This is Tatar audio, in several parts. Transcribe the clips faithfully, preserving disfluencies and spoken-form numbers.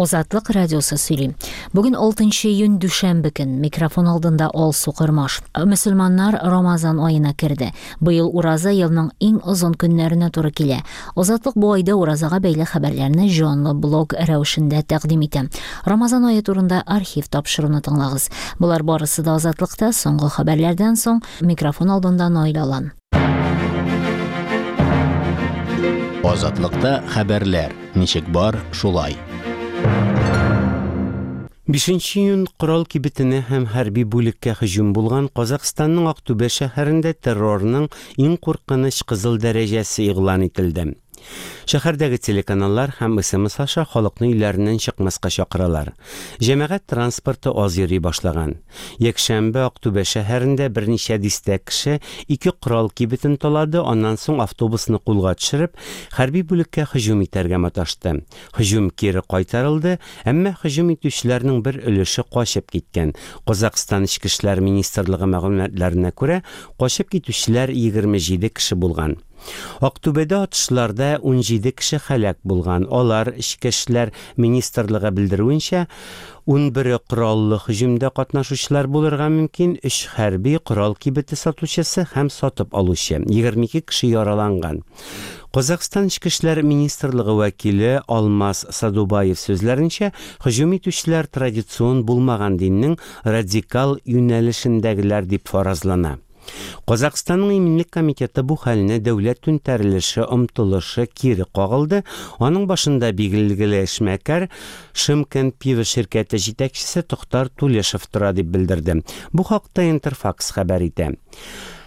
Азатлык радиосы сөйли. Бүген алтынчы июнь, дүшәмбе көн. Микрофон алдында Алсу Кормаш. Мөселманнар Рамазан аена керде. Быел ураза елның иң озын көннәренә туры килә. Азатлык бу айда уразага бәйле хәбәрләрне җанлы блог рәвешендә тәкъдим итә. Рамазан ае турында архив тапшыруны тыңлагыз. Болар барысы да Азатлыкта соңгы хәбәрләрдән соң. Микрофон алдында Наил Алан. Азатлыкта хәбәрләр ничек бар, шулай. Бишенче июнь корал кибетенә һәм хәрби бүлеккә һөҗүм булган Казахстанның Актүбә шәһәрендә террорның иң куркыныч кызыл дәрәҗәсе игълан ителде. Шәһәрдәге телеканаллар һәм С М С аша халыкны өйләреннән чыкмаска чакыралар. Җәмәгать транспорты аз йөри башлаган. Якшәмбе Актүбә шәһәрендә берничә дистә кеше ике корал кибетен талады, аннан соң автобусны кулга төшереп, хәрби бүлеккә һөҗүм итәргә маташты. Һөҗүм кире кайтарылды, әмма һөҗүм итүчеләрнең бер өлеше качып киткән. Казахстан Эчке эшләр министрлыгы мәгълүматларына күрә, качып китүчеләр егерме җиде кеше булган. Актүбәдә атышларда ун җиде кеше һәлак булган. Алар, Эчке эшләр министрлыгы белдерүенчә, ун бере кораллы һөҗүмдә катнашучылар булырга мөмкин, өч хәрби, корал кибете сатучысы һәм сатып алучы. Егерме ике кеше яраланган. Казахстан Эчке эшләр министрлыгы вәкиле Алмаз Садубаев сүзләренчә, һөҗүм итүчеләр традицион булмаган диннең радикал юнәлешендәгеләр дип фаразлана. Казахстанның иминлек комитеты бу хәлне дәүләт түнтәрелеше омтылышы кире кагылды. Аның башында билгеле эшмәкәр, Шымкент пиво ширкәте җитәкчесе Тохтар Тулешев тора дип белдерде. Бу хакта Интерфакс хәбәр итә.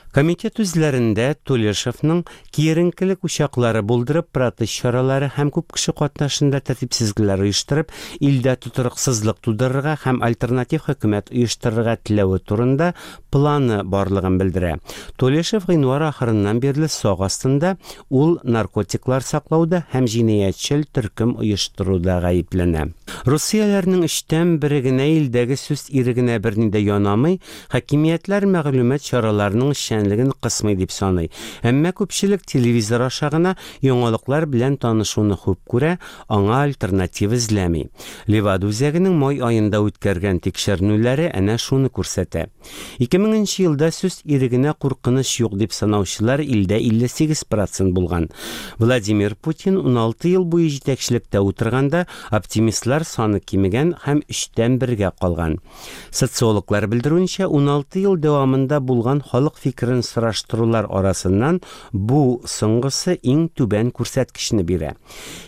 Комитет үзләрендә Тулешевның киеренкелек учаклары булдырып, протест чаралары һәм күп кеше катнашында тәртипсезлекләр оештырып, илдә тотрыксызлык тудырырга һәм альтернатив хөкүмәт оештырырга теләве турында планы барлыгын белдерә. Тулешев гыйнвар ахырыннан бирле сак астында, ул наркотиклар саклауда һәм җинаятьчел төркем оештыруда гаепләнә. Русияләрнең өчтән бере генә илдәге сүз ирегенә берни дә янамый, хакимиятләр мәгълүмат чараларының эшчәнлеген кысмый дип саный. Әмма күпчелек телевизор аша гына яңалыклар белән танышуны хуп күрә, аңа альтернатива эзләми. Левада үзәгенең май аенда үткәргән тикшеренүләре әнә шуны күрсәтә. Ике меңенче елда сүз ирегенә куркыныч юк дип санаучылар илдә илле сигез процент булган. Владимир Путин ун алты ел буе җитәкчелектә утырганда оптимистлар саны кимегән һәм өчтән бергә калган. Социологлар белдерүенчә, ун алты ел дәвамында булган халык фикерен сораштырулар арасыннан бу соңгысы иң түбән күрсәткечне бирә.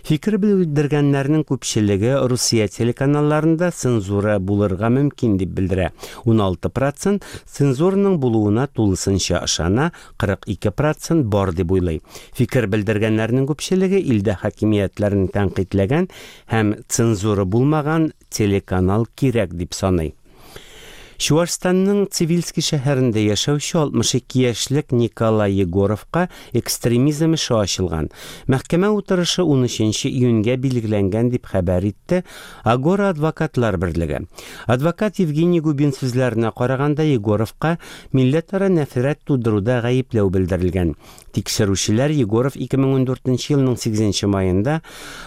Фикер белдергәннәрнең күпчелеге Русия телеканалларында цензура булырга мөмкин дип белдерә. Ун алты процент цензураның булуына тулысынча ышана, кырык ике процент бар дип уйлый. Фикер белдергәннәрнең күпчелеге илдә хакимиятләрен тәнкыйтьләгән һәм цензура булмаган телеканал кирәк дип саный. Чуашстанның Цивильский шәһәрендә яшәүче алтмыш ике яшьлек Николай Егоровка экстремизм эше ачылган. Мәхкәмә утырышы ун өченче июньгә билгеләнгән дип хәбәр итте Агора адвокатлар берлеге. Адвокат Евгений Губин сүзләренә караганда, Егоровка милләтара нәфрәт тудыруда гаепләү белдерелгән. Тикшерүчеләр Егоров ике мең ун дүртенче елның сигезенче маенда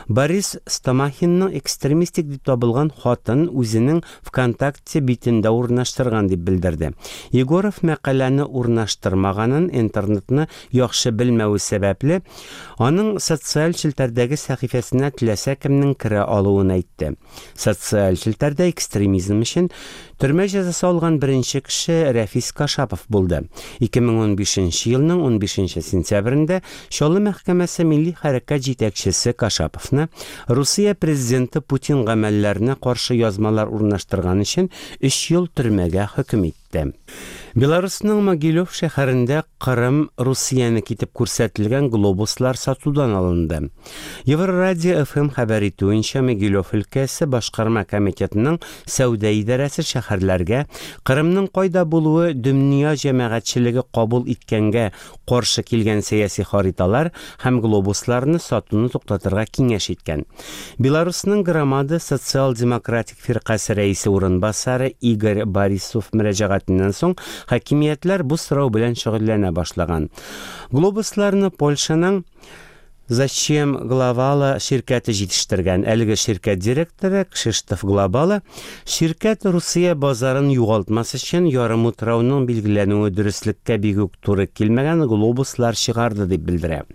Борис Стомахинның экстремистик дип табылган хатын үзенең ВКонтакте битендә урнаштырган дип белдерде. Егоров мәкаләне урнаштырмаганын, интернетны яхшы белмәве сәбәпле, аның социаль челтәрдәге сәхифәсенә теләсә кемнең керә алуын әйтте. Социаль челтәрдә экстремизм өчен төрмә җәзасы алган беренче кеше Рәфис Кашапов булды. Ике мең ун бишенче елның ун бишенче сентябрендә Чаллы мәхкәмәсе милли хәрәкәт җитәкчесе Кашаповны Русия президенты Путин гамәлләренә каршы язмалар урнаштырган өчен өч ел төрмәгә хөкем итте. Беларусның Могилев шәһәрендә Кырым Русияне китеп күрсәтелгән глобуслар сатудан алынды. Еврорадио Ф М хәбәр итүенчә, Могилев өлкәсе башкарма комитетының сәүдә идарәсе шәһәрләргә Кырымның кайда булуы дөнья җәмәгатьчелеге кабул иткәнгә каршы килгән сәяси хариталар һәм глобусларны сатуны туктатырга киңәш иткән. Беларусның Громада социал-демократик фиркасе рәисе урынбасары Игорь Борисов мөрәҗәгатеннән соң хакимиятләр бу сорау белән шөгыльләнә башлаган. Глобусларны Польшаның Зачем Глобала ширкәте җитештергән. Әлеге ширкәт директоры Кшиштоф Глобала ширкәт Русия базарын югалтмас өчен ярымутрауның билгеләнүе дөреслеккә бик үк туры килмәгән глобуслар чыгарды дип белдерә.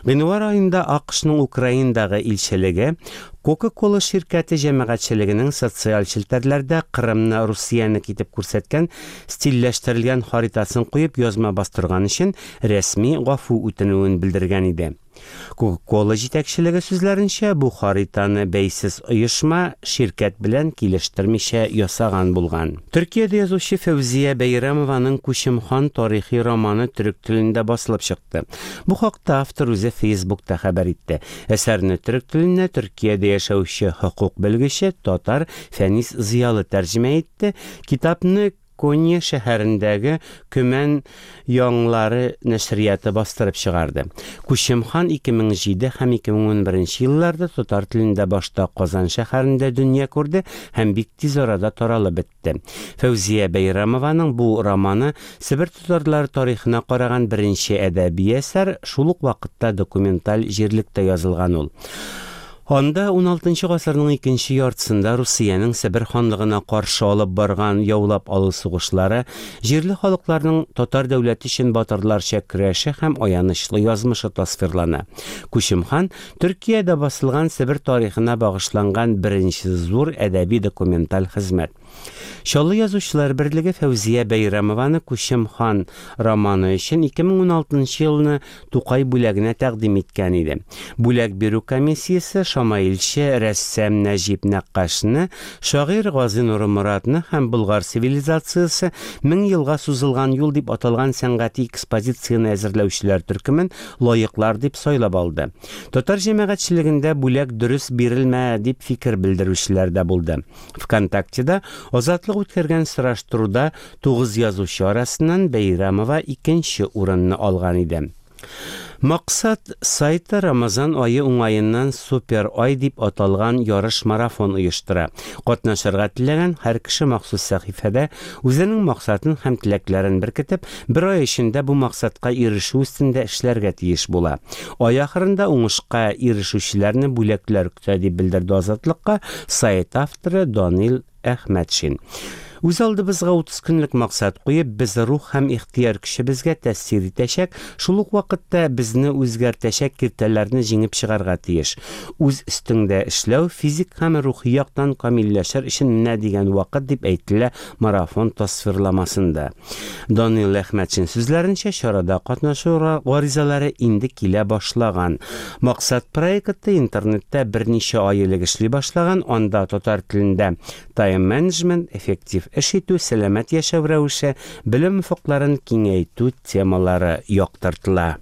Гыйнвар аенда АКШның Украинадагы илчелеге Кока-Кола ширкәте җәмәгатьчелегенең социаль челтәрләрдә Кырымны Русиянеке итеп күрсәткән стильләштерелгән харитасын куеп язма бастырган өчен рәсми гафу үтенүен белдергән иде. Кока-Кола җитәкчелеге сүзләренчә, бу хаританы бәйсез оешма ширкәт белән килештермичә ясаган булган. Төркиядә язучы Фәүзия Бәйрәмованың Күчем хан тарихи романы төрек телендә басылып чыкты. Бу хакта автор үзе Фейсбукта хәбәр итте. Әсәрне төрек теленә Төркиядә яшәүче хокук белгече татар Фәнис Зыялы тәрҗемә итте. Китапны Конья шәһәрендәге Көмән яңлары нәшрияты бастырып чыгарды. Күчем хан ике мең җиде һәм ике мең унберенче елларда татар телендә башта Казан шәһәрендә дөнья күрде һәм бик тиз арада таралып бетте. Фәүзия Бәйрәмованың бу романы Себер татарлары тарихына караган беренче әдәби әсәр, шул ук вакытта документаль җирлектә язылган ул. Анда ун алтынчы гасырның икенче яртысында Русиянең Себер ханлыгына каршы алып барган яулап алу сугышлары, җирле халыкларның татар дәүләте өчен батырларча көрәше һәм аянычлы язмышы тасвирлана. Күчем хан Төркиядә басылган Себер тарихына багышланган беренче зур әдәби документаль хезмәт. Чаллы язучылар берлеге Фәүзия Бәйрәмованы Күчем хан романы өчен ике мең ун алтынчы елны Тукай бүләгенә тәкъдим иткән иде. Бүләк бирү комиссиясе шамаилче рәссам Нәҗип Нәккашны, шагыйрь Гази Нурморатны һәм Болгар цивилизациясе мең елга сузылган юл дип аталган сәнгати экспозицияне әзерләүчеләр төркемен лаеклар дип сайлап алды. Татар җәмәгатьчелегендә бүләк дөрес бирелмә дип фикер белдерүчеләр дә булды. ВКонтактеда Азатлык үткәргән сораштыруда тугыз язучы арасыннан Бәйрәмова икенче урынны алган иде. Максат сайты Рамазан айы уңаеннан Супер ай дип аталган ярыш марафон оештыра. Катнашырга теләгән һәр кеше махсус сәхифәдә үзенең максатын һәм теләкләрен беркетеп, бер ай эчендә бу максатка ирешү өстендә эшләргә тиеш була. Ай ахырында уңышка ирешүчеләрне бүләкләр көтә дип белдерде Азатлыкка сайт авторы Данил Әхмәтшин. Үз алдыбызга утыз көнлек максат куеп, без рух һәм ихтыяр көчебезгә тәэсир итәчәк, шул ук вакытта безне үзгәртәчәк киртәләрне җиңеп чыгарга тиеш. Үз өстеңдә эшләү физик һәм рухи яктан камилләшер өчен менә дигән вакыт дип әйтелә марафон тасвирламасында. Данил Әхмәтшин сүзләренчә, чарада катнашу гаризалары инде килә башлаган. Максат проекты интернетта берничә ай элек эшли башлаган, анда татар телендә тайм-менеджмент, эффектив эш итү, сәламәт яшәү рәвеше, белем офыкларын киңәйтү темалары яктыртыла.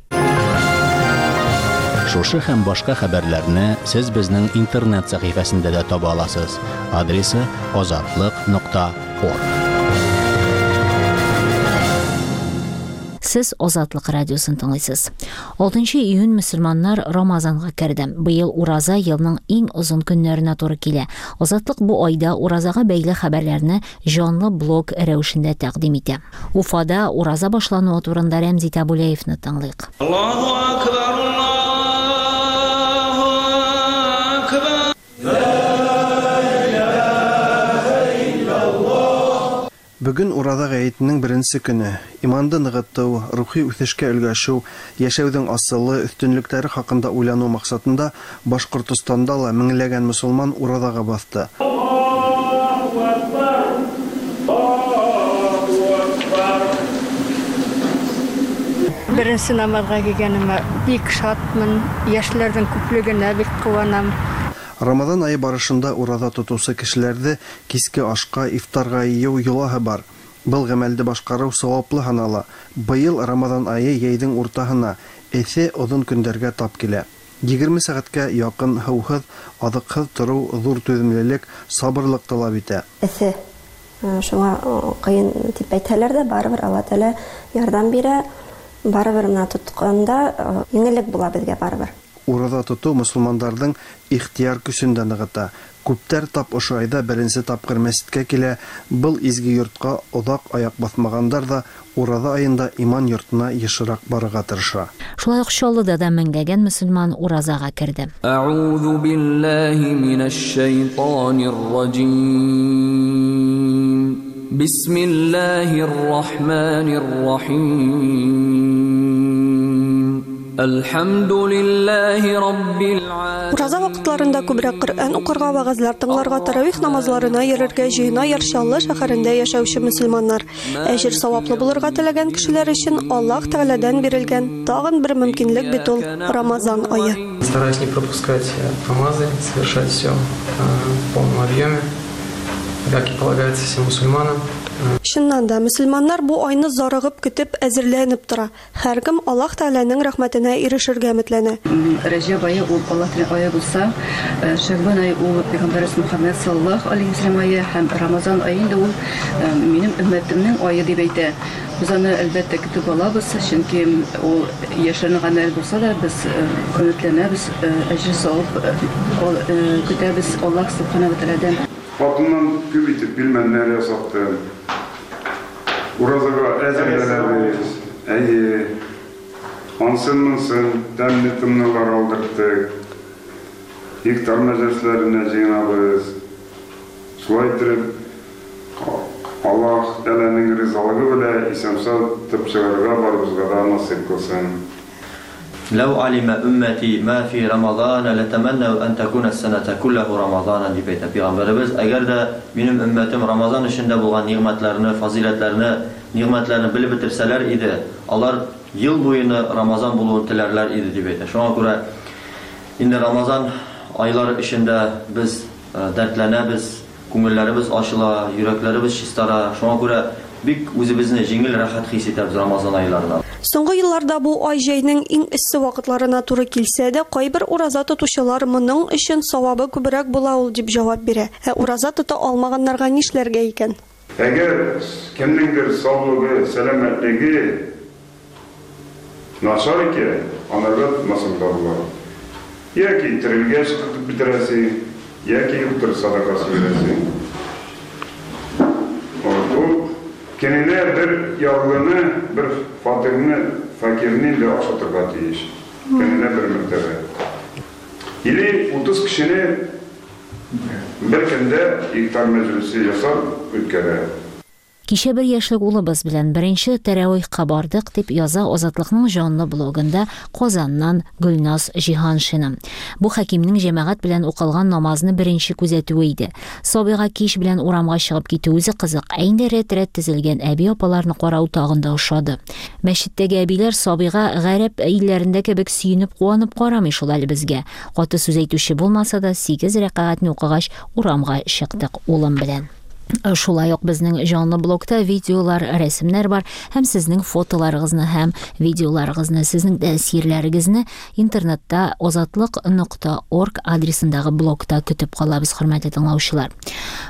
Шушы һәм башка хәбәрләрне сез безнең интернет сәхифәсендә дә таба аласыз. Адресы азатлык нокта орг. Сез Азатлык радиосын тыңлыйсыз. Алтынчы июнь мөселманнар Рамазанга керде. Быел ураза елның иң озын көннәренә туры килә. Азатлык бу айда уразага бәйле хәбәрләрне җанлы блог рәвешендә тәкъдим итә. Уфада ураза башлануы турында Рәмзи Табулаевны тыңлыйк. Аллаһу акбар, Аллаһу акбар. Бүген Ураза гаетенең беренче көне. Иманды ныгыту, рухи үсешкә өлгәшү, яшәүнең асылы, өстенлекләре хакында уйлану максатында Башкортостанда ла меңләгән мөселман уразага басты. Аллаһу акбар, Аллаһу акбар. Беренче намазга килгәнемә бик шатмын, яшьләрнең күплегенә бик куанам. Рамазан айы барышында ураза тотучы кешеләрҙе киске ашка, ифтарға йыйыу йолаһы бар. Был ғәмәлде башҡарыу сауаплы һанала. Быйыл Рамазан айы йәйҙең уртаһына, эҫе оҙон көндәргә тап килә. Егерме сәғәткә яҡын һыуһыҙ, аҙыҡһыҙ тороу ҙур түҙемлелек, сабырлыҡ талап итә. Эҫе, шуңа ҡыйын тип әйтһәләр ҙә, барыбер Алла Тәғәлә ярҙам бирә. Барыбер менә тотҡанда еңеллек була беҙгә барыбер. Ураҙа тотоу мосолмандарҙың ихтыяр көсөн дә нығыта. Күптәр тап ошо айҙа беренсе тапҡыр мәсеткә килә. Был изге йортҡа оҙаҡ аяҡ баҫмағандар ҙа ураҙа айында иман йортона йышыраҡ барырға тырыша. Шулай уҡ Чаллыда да меңләгән мөселман уразаға керҙе. Әғуҙу биллаһи минәш шайтанир ражим. Бисмиллаһир рахманир рахим. Әлхәмдүлилләһи раббил аләмин. Ураза ваҡытларында күберәк Ҡөрьән уҡырға, вәғәзләр тыңларға, таравих намазларына йөрергә җыена Яр Чаллы шәһәрендә яшәүче мөселманнар. Әҗер саваплы булырга теләгән кешеләр өчен Аллаһ Тәгаләдән бирелгән тагын бер мөмкинлек бит ул Рамазан ае. Стараюсь не пропускать намазы, совершать все в полном объеме, как и полагается всем мусульманам. Чыннан да, мөселманнар бу айны зарыгып көтеп, әзерләнеп тора. Һәркем Аллаһ Тәгаләнең рәхмәтенә ирешергә өметләнә. Рәҗәб ае ул Аллаһ Тәгалә ае булса, Шәгъбан ае ул Пәйгамбәребез Мөхәммәд саллаллаһу алейһи ва сәлләм ае һәм Рамазан ае инде ул минем өммәтемнең ае дип әйтә. Без аны әлбәттә көтеп алабыз, чөнки ул яшерен гамәл булса да, без өметләнәбез, әҗер савап көтәбез Аллаһ субхана ва тәгаләдән. Хатыннан күп итеп пилмәннәр ясаттым. Уразага әзерләнәбез. Әйе. Ансын-монсын тәмле тымнылар алдырттык. Ифтар мәҗлесләренә җыенабыз. Шулай итеп, Аллаһ Тәгаләнең ризалыгы белән исән-сау тып чыгарга барыбызга да насыйп кылсын. لو علم أمتي ما في رمضان لتمنوا أن تكون السنة كله رمضانا дип әйтә Пәйгамбәребез. Әгәр дә минем өммәтем Рамазан эчендә булган нигъмәтләрне, фазиләтләрне, нигъмәтләрне белеп бетерсәләр иде, алар ел буена Рамазан булуын теләрләр иде дип әйтә. Шуңа күрә инде Рамазан айлары эчендә без дәртләнәбез, күңелләребез ачыла, йөрәкләребез чистара. Шуңа күрә бик үзебезне җиңел, рәхәт хис итәбез Рамазан айларында. Соңгы елларда бу ай җәйнең иң эссе вакытларына туры килсә дә, кайбер ураза тотучылар моның өчен савабы күбрәк була ул дип җавап бирә. Ә ураза тота алмаганнарга нишләргә икән? Әгәр кемнеңдер саулыгы, сәламәтлеге начар икән, анарга тотмасын да була. Яки терелгәч тотып бетерәсең, яки юктыр садакасы бирәсең. Көненә бер ярлыны, бер фатирны, фәкирне инде ашатырга тиеш. Көненә бер мәртәбә. Или утыз кешене бер көндә ифтар мәҗлесе ясап үткәрә. Кичә бер яшьлек улыбыз белән беренче тәравихка бардык дип яза Азатлыкның җанлы блогында Казаннан Гөлназ Җиһаншина. Бу хакимнең җәмәгать белән укылган намазны беренче күзәтүе иде. Сабыйга кич белән урамга чыгып китү үзе кызык, ә инде рәт-рәт тезелгән әби апаларны карау тагын да ошады. Мәчеттәге әбиләр сабыйга гарәп илләрендә кебек сөенеп, куанып карамый шул әле безгә. Каты сүз әйтүче булмаса да, сигез рәкәгатьне укыгач урамга чыктык улым белән. Шулай ук безнең җанлы блогта видеолар, рәсемнәр бар һәм сезнең фотоларыгызны һәм видеоларыгызны, сезнең тәэсирләрегезне интернетта азатлык нокта орг адресындагы блогта көтеп калабыз, хөрмәтле тыңлаучылар.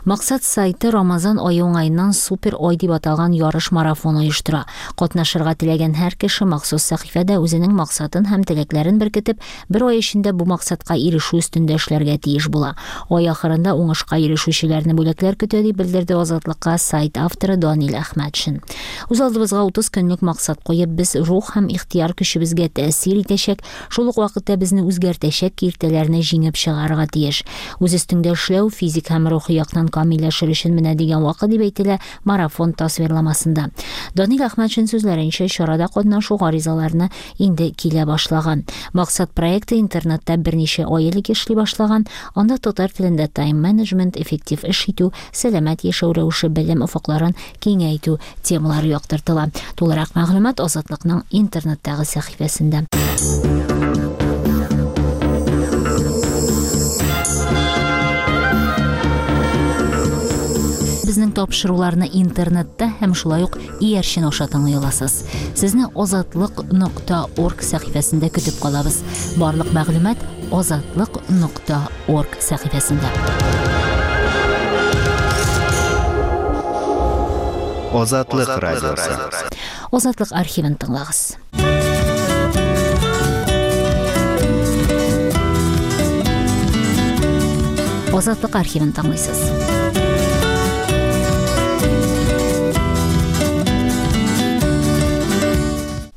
Максат сайты Рамазан ае уңаеннан супер ай дип аталган ярыш марафон оештыра. Катнашырга теләгән һәр кеше махсус сәхифәдә үзенең максатын һәм теләкләрен беркетеп, бер ай эчендә бу максатка ирешү өстендә эшләргә тиеш була. Ай ахырында уңышка ирешүчеләрне бүләкләр көтә дип белдерде Азатлыкка сайт авторы Данил Әхмәтшин. Үз алдыбызга утыз көнлек максат куеп, без рух һәм ихтыяр көчебезгә тәэсир итәчәк, шул ук вакытта безне үзгәртәчәк киртәләрне җиңеп чыгарырга тиеш. Үз өстеңдә эшләү физик һәм рухи яктан камилләшер өчен менә дигән вакыт дип әйтелә марафон тасвирламасында. Данил Әхмәтшин сүзләренчә, чарада катнашу гаризаларны инде килә башлаган. Максат проекты интернетта берничә ай элек эшли башлаган. Анда татар телендә тайм-менеджмент, эффектив эш итү, сәламәт яшәү рәвеше, белем офыкларын киңәйтү темалары яктыртыла. Тулырак мәгълүмат Азатлыкның интернеттагы сәхифәсендә. Безнең тапшыруларны интернетта һәм шулай ук иярчен аша тыңлый аласыз. Сезне азатлык нокта орг сәхифәсендә көтеп калабыз. Барлык мәгълүмат азатлык нокта орг сәхифәсендә. Азатлык радиосы. Азатлык архивын тыңлагыз. Азатлык архивын тыңлыйсыз.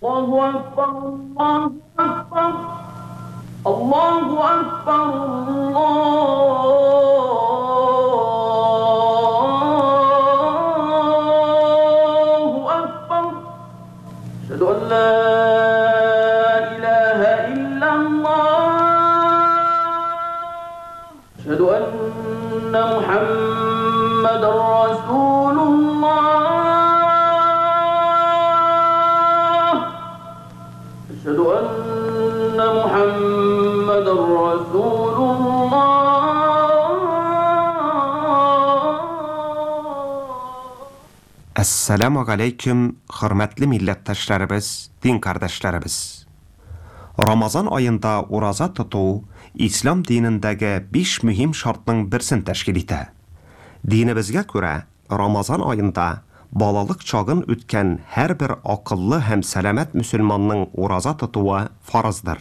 Allahu Akbar, Allahu Akbar, Allahu Akbar, Allahu Akbar. Eşhedü en la ilahe illallah. Eşhedü enne Muhammeden Resulullah. Eşhedü enne Muhammeden Resulullah. Əssalamu aleyküm, hörmətli millətdaşlarımız, din kardeşlerimiz. Ramazan ayında uraza tutu İslam dinindəgi beş mühim şartның берсен təşkil итә. Dinimizgә күрә, Ramazan ayında балалык чагын үткән һәр бер акыллы һәм сәламәт мөселманның ураза тотуы фарыздыр.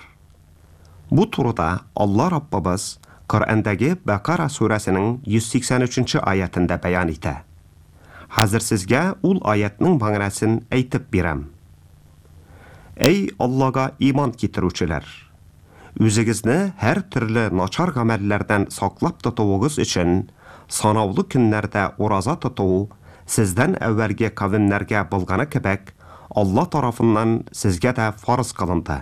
Бу турыда Алла Раббыбыз Коръәндәге Бәкара сүрәсенең йөз сиксән өченче аятында бәян итә. Хәзер сезгә ул аятның мәгънәсен әйтеп бирәм. Эй Аллага иман китерүчеләр! Үзегезне һәр төрле начар гамәлләрдән саклап тотуыгыз өчен санаулы көннәрдә ураза тоту сездән әүвәлге кавемнәргә булганы кебек Алла тарафыннан сезгә дә фарыз кылынды.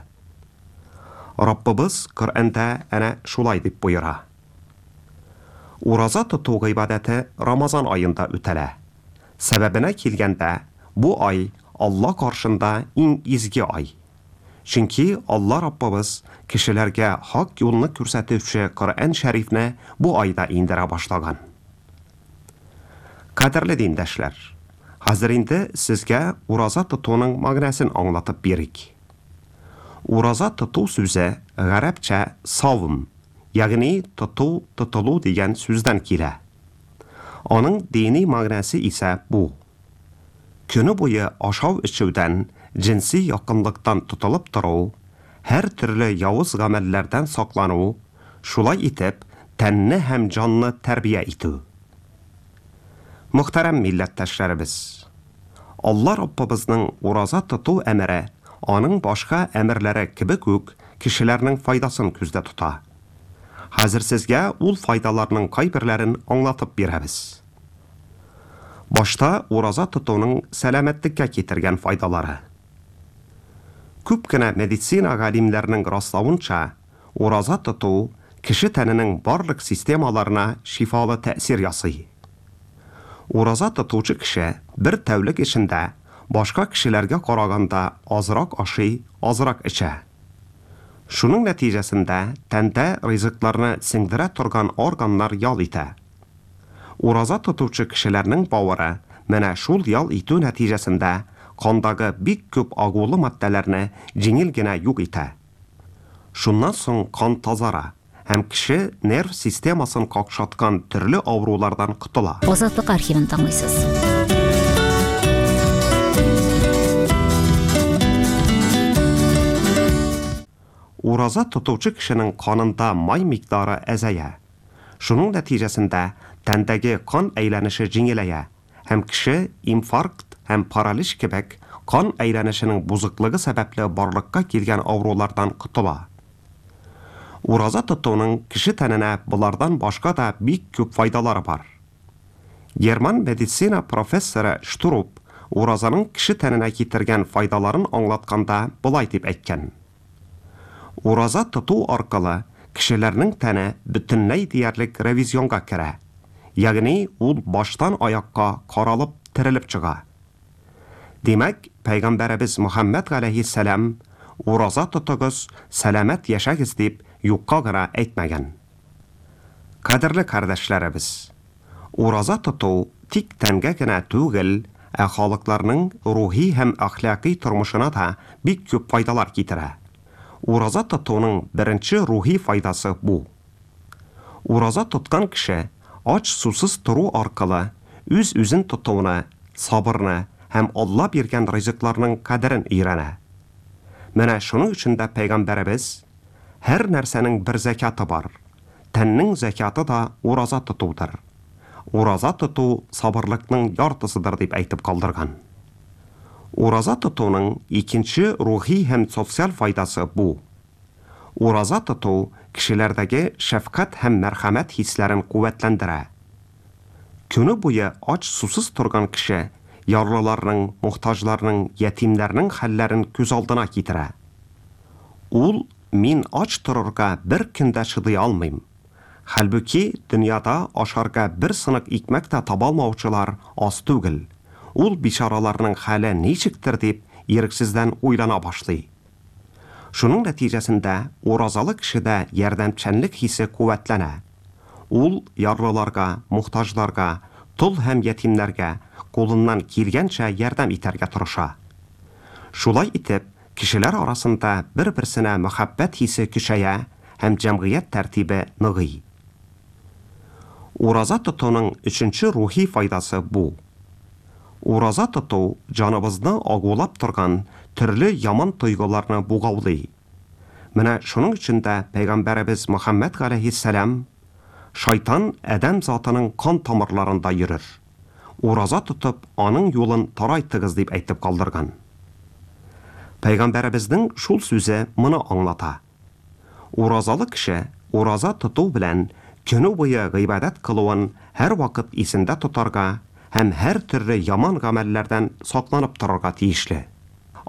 Раббыбыз Коръәндә әнә шулай дип боера. Ураза тоту гыйбадәте Рамазан аенда үтәлә. Сәбәбенә килгәндә, бу ай Алла каршында иң изге ай. Чөнки Алла Раббыбыз кешеләргә хак юлны күрсәтүче Коръән шәрифне бу айда индерә башлаган. Кадерле диндәшләр, хәзер инде сезгә ураза тотуның мәгънәсен аңлатып бирик. Ураза тоту сүзе гарәпчә савм, ягъни тоту, тотылу дигән сүздән килә. Аның дини мәгънәсе исә бу. Көне буе ашау эчүдән, җенси якынлыктан тотылып тору, һәр төрле явыз гамәлләрдән саклану, шулай итеп тәнне һәм җанны тәрбия итү. Мөхтәрәм милләттәшләребез, Алла Раббыбызның ураза тоту әмере аның башка әмерләре кебек үк кешеләрнең файдасын күздә тота. Хәзер сезгә ул файдаларның кайберләрен аңлатып бирәбез. Башта ураза тотуның сәламәтлеккә китергән файдалары. Күп кенә медицина галимнәренең раславынча, ураза тоту кеше тәненең барлык системаларына шифалы тәэсир ясый. Ураза тотучы кеше бер тәүлек эчендә башка кешеләргә караганда азрак ашый, азрак эчә. Шуның нәтиҗәсендә тәндә ризыкларны сеңдерә торган органнар ял итә. Ураза тотучы кешеләрнең бавыры менә шул ял итү нәтиҗәсендә кандагы бик күп агулы матдәләрне җиңел генә юк итә. Шуннан соң кан тазара һәм кеше нерв системасын какшаткан төрле авырулардан котыла. Азатлык архивын тыңлыйсыз. Ураза тотучы кешенең канында май микъдары әзәя. Шуның нәтиҗәсендә тәндәге кан әйләнеше җиңеләя һәм кеше инфаркт һәм паралич кебек кан әйләнешенең бузыклыгы сәбәпле барлыкка килгән авырулардан котыла. Ураза тотуның кеше тәненә болардан башка да бик күп файдалары бар. Герман медицина профессоры Штуруп уразаның кеше тәненә китергән файдаларын аңлатканда болай дип әйткән. Ураза тоту аркылы кешеләрнең тәне бөтенләй диярлек ревизионга керә. Ягъни ул баштан аякка каралып терелеп чыга. Димәк, Пәйгамбәребез Мөхәммәд галәйһиссәлам ураза тотыгыз, сәламәт яшәгез дип юкка гына әйтмәгән. Кадерле кардәшләребез, ураза тоту тик тәнгә генә түгел, ә халыкларның рухи һәм әхлаки тормышына да бик күп файдалар китерә. Ураза тотуның беренче рухи файдасы бу. Ураза тоткан кеше ач сусыз тору аркылы үз-үзен тотуны, сабырны һәм Алла биргән ризыкларның кадерен өйрәнә. Менә шуның өчен дә Пәйгамбәребез һәр нәрсәнең бер зәкяты бар. Тәннең зәкяты да ураза тотудыр. Ураза тоту сабырлыкның яртысыдыр дип әйтеп калдырган. Ураза тотуның икенче рухи һәм социаль файдасы бу. Ураза тоту кешеләрдәге шәфкать һәм мәрхәмәт хисләрен куәтләндерә. Көне буе ач сусыз торган кеше ярлыларның, мохтаҗларның, ятимнәрнең хәлләрен күз алдына китерә. Ул мин ач торырга бер көн дә чыдый алмыйм. Хәлбүки дөньяда ашарга бер сынык икмәк тә таба алмаучылар аз түгел. Ул бичараларның хәле ничектер дип ирексездән уйлана башлый. Шуның нәтиҗәсендә уразалы кешедә ярдәмчәнлек хисе куәтләнә. Ул ярлыларга, мохтаҗларга, тол һәм ятимнәргә кулыннан килгәнчә ярдәм итәргә тырыша. Шулай итеп, кешеләр арасында бер-берсенә мәхәббәт хисе көчәя һәм җәмгыять тәртибе ныгый. Ураза тотуның өченче рухи файдасы бу. Ураза тоту җаныбызны агулап торган төрле яман тойгыларны бугаулый. Менә шуның өчен дә Пәйгамбәребез Мөхәммәд галәйһиссәлам шайтан адәм затының кан тамырларында йөрер. Ураза тотып, аның юлын тарайтыгыз дип әйтеп калдырган. Пәйгамбәребезнең шул сүзе моны аңлата. Уразалы кеше ураза тоту белән көне буе гыйбадәт кылуын һәр вакыт исендә тотарга һәм һәр төрле яман гамәлләрдән сакланып торырга тиешле.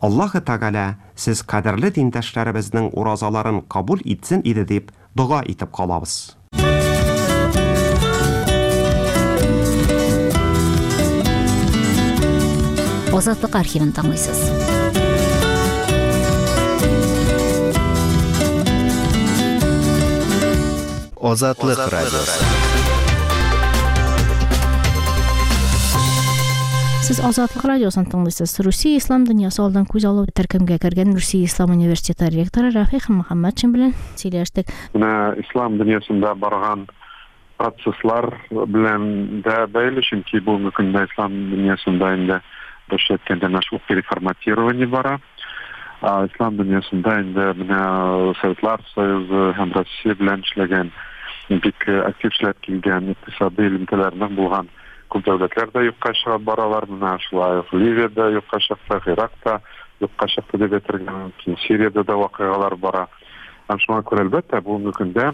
Аллаһы Тәгалә сез кадерле диндәшләребезнең уразаларын кабул итсен иде дип дога итеп калабыз. Азатлык архивын тыңлыйсыз. Азатлык радиосы. Сез Азатлык радиосын тыңлыйсыз. Русия ислам дөньясы алдан күз алу төркемгә кергән Русия ислам университеты ректоры Рафик Мөхәммәтшин белән сөйләштек. Менә ислам дөньясында барган процесслар белән дә бәйле, чөнки бүгенге көндә ислам дөньясында инде русча әйткәндә менә шул переформатирование бара. Ислам дөньясында инде менә Советлар Союзы һәм Россия белән эшләгән, бик актив эшләп килгән икътисади элемтәләрнең булган күп дәүләтләр дә юкка чыгып баралар. Менә шулай ук Ливиядә юкка чыкты, Иракта юкка чыкты дип әйтергә мөмкин, Сириядә дә вакыйгалар бара. Һәм шуңа күрә әлбәттә бүгенге көндә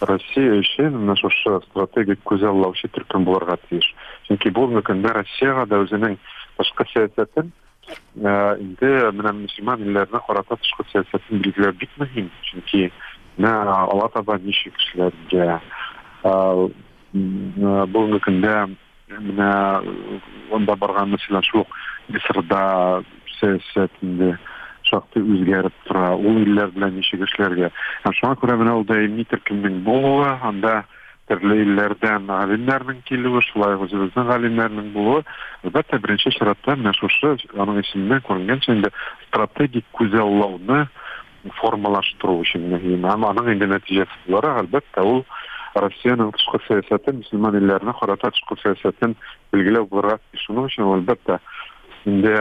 Россия өчен менә шушы стратегик күзаллаучы төркем булырга тиеш. Чөнки бүгенге көндә Россиягә дә үзенең тышкы сәясәтен инде менә мөселман илләренә карата тышкы сәясәтен билгеләү бик мөһим. Чөнки менә алга таба ничек эшләргә, бүгенге көндә менә анда барган мәсәлән шул ук Мисырда сәясәт инде шактый үзгәреп тора, ул илләр белән ничек эшләргә. Һәм шуңа күрә менә ул даими төркемнең булуы, анда төрле илләрдән галимнәрнең килүе, шулай ук үзебезнең галимнәрнең булуы, әлбәттә, беренче чиратта менә шушы аның исеменнән күренгәнчә инде стратегик күзаллауны формалаштыру өчен мөһим. Һәм аның инде нәтиҗәсе буларак, әлбәттә, ул Россиянең тышкы сәясәтен, мөселман илләренә карата тышкы сәясәтен билгеләү булырга тиеш. Шуның өчен ул, әлбәттә, инде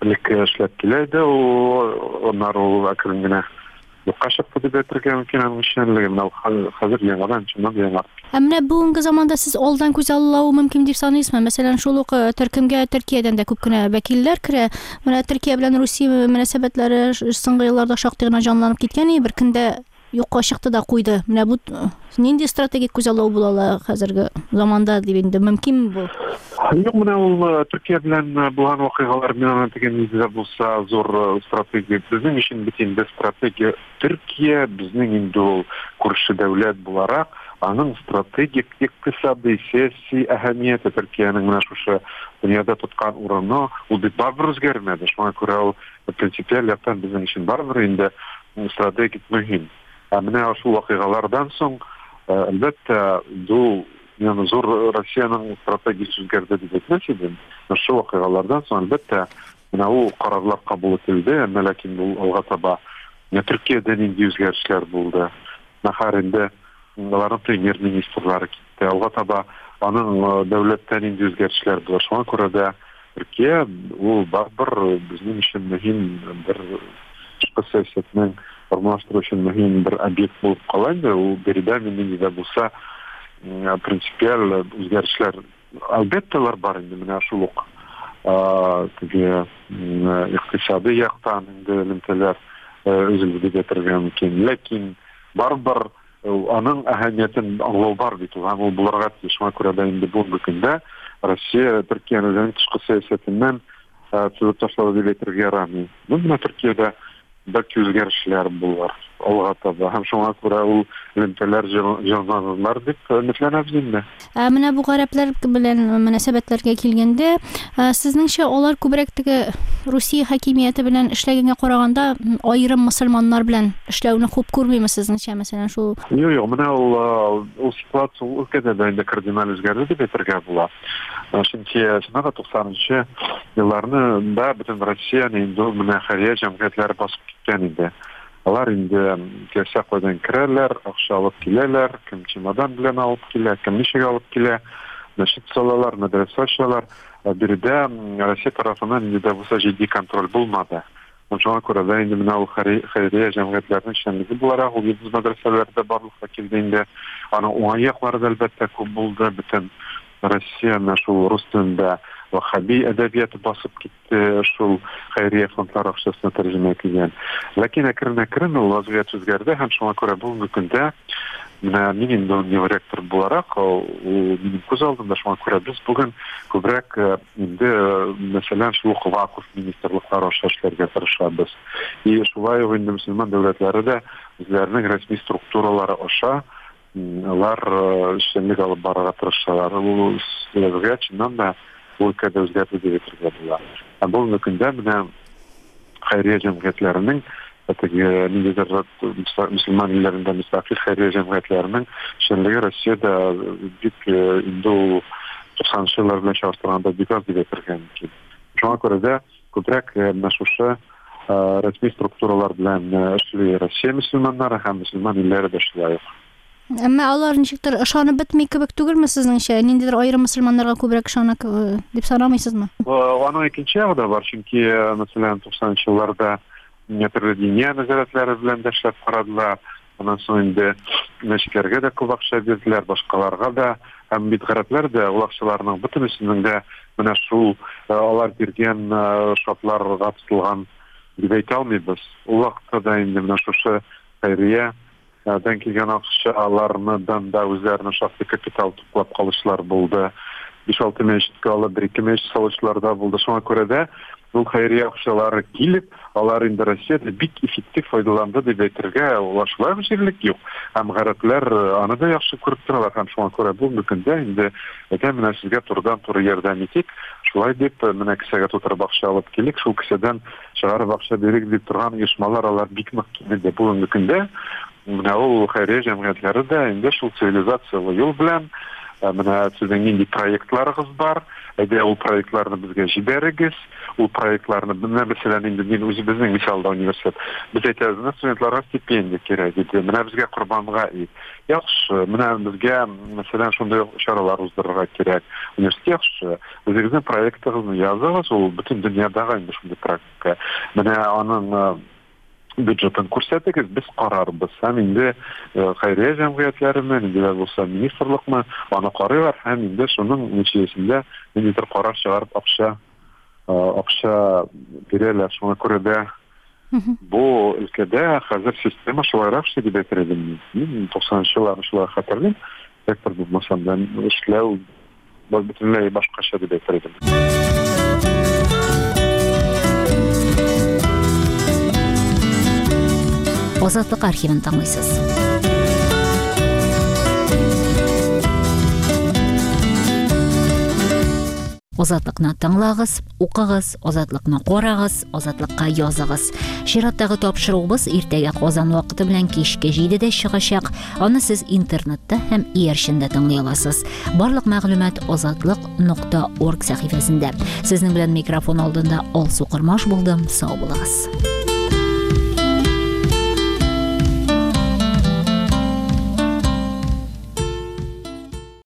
элек эшләп килә иде, ул аннары ул әкрен генә юкка чыкты дип әйтергә мөмкин аның эшчәнлеге. Менә хәзер яңадан чыннан да яңартты. Ә менә бүгенге заманда сез алдан күз аллау мөмкин дип саныйсызмы? Мәсәлән, шул ук төркемгә Төркиядән дә күп кенә вәкилләр керә. Менә Төркия белән Русия мөнәсәбәтләре соңгы елларда шактый гына җанланып киткән, бер көндә юкка чыкты да куйды. Менә бу нинди стратегик күзаллау була ала хәзерге заманда дип инде мөмкинме бу? Юк, менә ул Төркия белән булган вакыйгалар мин аны дигән нидә булса зур стратегия. Безнең өчен бит инде стратегия Төркия, безнең инде ул күрше дәүләт буларак, аның стратегик икътисади, сәяси әһәмияте Төркиянең менә шушы дөньяда тоткан урыны, ул бит барыбер үзгәрмәде. Шуңа күрә ул принципиаль яктан безнең өчен барыбер инде стратегик мөһим. Ә менә шул вакыйгалардан соң, әлбәттә, ул яны зур Россиянең стратегиясе үзгәрде дип әйтмәс идем. Шул вакыйгалардан соң, әлбәттә, менә ул карарлар кабул ителде, әмма ләкин ул алга таба менә Төркиядә нинди үзгәрешләр булды. Нахар инде аларның премьер-министрлары китте. Алга таба аның дәүләттә нинди үзгәрешләр булды. Шуңа күрә дә Төркия ул барыбер безнең өчен мөһим бер тышкы сәясәтнең формалаштыру өчен мөһим бер объект булып кала инде. Ул биредә нинди дә булса принципиаль үзгәрешләр әлбәттә алар бар инде. Менә шул ук теге икътисади яктан инде элемтәләр өзелде дип әйтергә мөмкин. Ләкин барыбер аның әһәмиятен аңлау бар бит, һәм ул булырга тиеш. Шуңа күрә дә инде бүгенге көндә Россия Төркияне үзенең тышкы сәясәтеннән төзеп ташлады дип әйтергә ярамый. Менә Төркиядә бәлки үзгәрешләр булыр алга таба, һәм шуңа күрә ул элемтәләр җанланыр дип өметләнәбез инде. Ә менә бу гарәпләр белән мөнәсәбәтләргә килгәндә, сезнеңчә алар күбрәк теге Русия хакимияте белән эшләгәнгә караганда аерым мөселманнар белән эшләүне хуп күрмиме сезнеңчә, мәсәлән, шул? Юк, юк, менә ул ул ситуация ул өлкәдә дә инде кардиналь үзгәрде дип әйтергә була. Чөнки чыннан да туксанынчы елларны да бөтен Россияне инде менә хәйрия җәмгыятьләре басып киткән иде. Алар инде теләсә кайдан керәләр, акча алып киләләр, кем чемодан белән алып килә, кем ничек алып килә, мәчет салалар, мәдрәсә ачалар. Биредә Россия тарафыннан инде дә булса җитди контроль булмады. Шуңа күрә дә инде менә ул хәйрия җәмгыятьләренең эшчәнлеге буларак ул йолдыз мәдрәсәләре дә барлыкка килде инде. Аның уңай яклары да әлбәттә күп булды. Бөтен Россия менә шул рус телендә ваххаби әдәбияты басып китте, шул хәйрия фондлары акчасына тәрҗемә ителгән. Ләкин әкрен-әкрен ул вазгыять үзгәрде, һәм шуңа күрә бүгенге көндә менә мин инде университет буларак, ул минем күз алдымда, шуңа күрә без бүген күбрәк инде мәсәлән шул ук вакыф министрлыклары аша эшләргә тырышабыз. И шулай ук инде мөселман дәүләтләре дә үзләренең рәсми структуралары аша алар эшчәнлек алып барырга тырышалар. Ул вазгыять чыннан да бу өлкәдә үзгәрде дип әйтергә була. Ә бүгенге көндә менә хәйрия җәмгыятьләренең теге ниндидер мөселман илләрендә мөстәкыйль хәйрия җәмгыятьләренең эшчәнлеге Россиядә бик инде ул туксанынчы еллар белән чагыштырганда бик аз дип әйтергә мөмкин. Шуңа күрә дә күбрәк менә шушы рәсми структуралар белән эшли Россия мөселманнары һәм мөселман илләре дә шулай ук. Әмма алар ничектер ышанып бетми кебек түгелме сезнеңчә? Ниндидер аерым мөселманнарга күбрәк ышана дип санамыйсызмы? Аның икенче ягы да бар, чөнки мәсәлән туксанынчы елларда төрле диния нәзарәтләре белән дә эшләп карадылар. Аннан соң инде мәчетләргә дә күп акча бирделәр, башкаларга да. Һәм бит гарәпләр дә ул акчаларның бөтенесенең дә менә шул алар биргән шартларга тотылган дип әйтә алмыйбыз. Ул вакытта да инде менә шушы хәйрия дән килгән акчалардан да үзләренә шактый капитал туплап калучылар булды. Биш-алты мәчеткә алып, бер-ике мәчет салучылар да булды. Шуңа күрә дә ул хәйрия акчалары килеп, алар инде Россиядә бик эффектив файдаланды дип әйтергә алар шулай ук җирлек юк. Һәм гарәпләр аны да яхшы күреп торалар, һәм шуңа күрә бүгенге көндә инде әйтәм, менә сезгә турыдан-туры ярдәм итик, шулай дип менә кесәгә тутырып акча алып килик, шул кесәдән чыгарып акча бирик дип торган оешмалар алар бик нык кимеде. Бүгенге көндә менә ул хәйрия җәмгыятьләре дә инде шул цивилизациялы юл белән менә сезнең нинди проектларыгыз бар, әйдә ул проектларны безгә җибәрегез, ул проектларны менә мәсәлән инде мин үзебезнең мисалда университет, без әйтәбез, менә студентларга стипендия кирәк иде, менә безгә корбанга ит. Яхшы, менә безгә мәсәлән шундый чаралар уздырырга кирәк. Университет яхшы, үзегезнең проектыгызны языгыз, ул бөтен дөньядагы инде шундый практика. Менә аның бюджетын күрсәтегез, без карарбыз. Һәм инде хәйрия җәмгыятьләреме, инде дә булса министрлыкмы, аны карыйлар һәм инде шуның нәтиҗәсендә ниндидер карар чыгарып акча акча бирәләр. Шуңа күрә дә бу өлкәдә хәзер система шулайрак эшли дип әйтер идем. Мин туксанынчы елларны шулай хәтерлим. Ректор булмасам да эшләү бөтенләй башкача дип әйтер идем. Азатлык архивын тыңлыйсыз. Азатлыкны тыңлагыз, укыгыз, Азатлыкны карагыз, Азатлыкка языгыз. Чираттагы тапшыруыбыз иртәгә Казан вакыты белән кичке җидедә чыгачак. Аны сез интернетта һәм иярчендә тыңлый аласыз. Барлык мәгълүмат азатлык нокта орг сәхифәсендә. Сезнең белән микрофон алдында Алсу Кормаш булдым. Сау булыгыз.